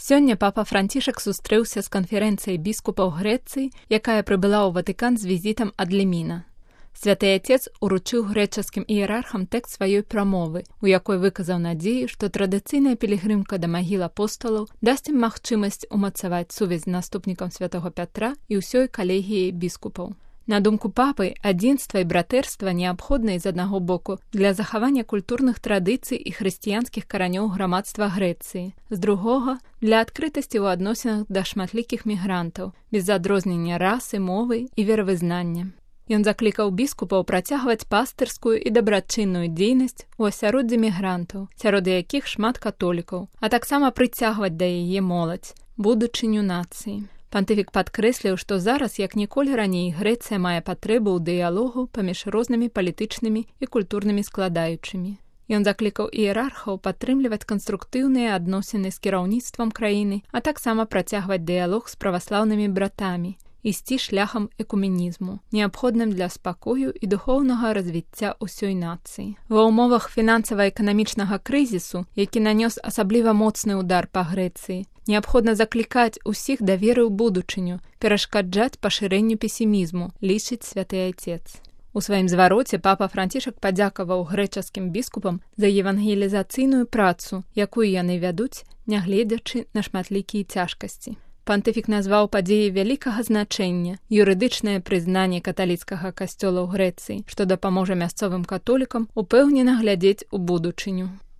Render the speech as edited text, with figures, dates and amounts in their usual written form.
Сёння папа Францішак сустрэўся з канферэнцыяй біскупаў Грэцыі, якая прыбыла ў Ватыкан з візітам ад Леміна. Святы Отец уручыў грэчаскім іерархам тэкст сваёй прамовы, у якой выказаў надзею, што традыцыйная пілігрымка да магіл апосталаў дасць ім магчымасць умацаваць сувязь з наступнікам святога Пятра і ўсёй калегіяй біскупаў. На думку папы, адзінства і братэрства неабходныя з аднаго боку для захавання культурных традыцый і хрысціянскіх каранёў грамадства Грэцыі, з другога – для адкрытасці ў адносінах да шматлікіх мігрантаў, без адрознення расы, мовы і веравызнання. Ён заклікаў біскупаў працягваць пастырскую і дабрачынную дзейнасць у асяроддзі мігрантаў, сярод якіх шмат католікаў, а таксама прыцягваць да яе моладзь, будучыню нацыі. Пантыфік падкрэсліў, што зараз, як ніколі раней, Грэцыя мае патрэбу ў дыялогу паміж рознымі палітычнымі і культурнымі складаючымі. Ён заклікаў іерархаў падтрымліваць канструктыўныя адносіны з кіраўніцтвам краіны, а таксама працягваць дыялог з праваслаўнымі братамі, ісці шляхам экуменізму, неабходным для спакою і духоўнага развіцця ўсёй нацыі. Ва ўмовах фінансава-эканамічнага крызісу, які нанёс асабліва моцны ўдар па Грэцыі, неабходна заклікаць усіх да веры ў будучыню, перашкаджаць пашырэнню песімізму, лічыць святы Отец. У сваім звароце папа Францішак падзякаваў грэчаскім біскупам за евангелізацыйную працу, якую яны вядуць, нягледзячы на шматлікія цяжкасці. Пантыфік назваў падзеі вялікага значэння, юрыдычнае прызнанне каталіцкага касцёла ў Грэцыі, што дапаможа мясцовым католікам упэўнена глядзець у будучыню.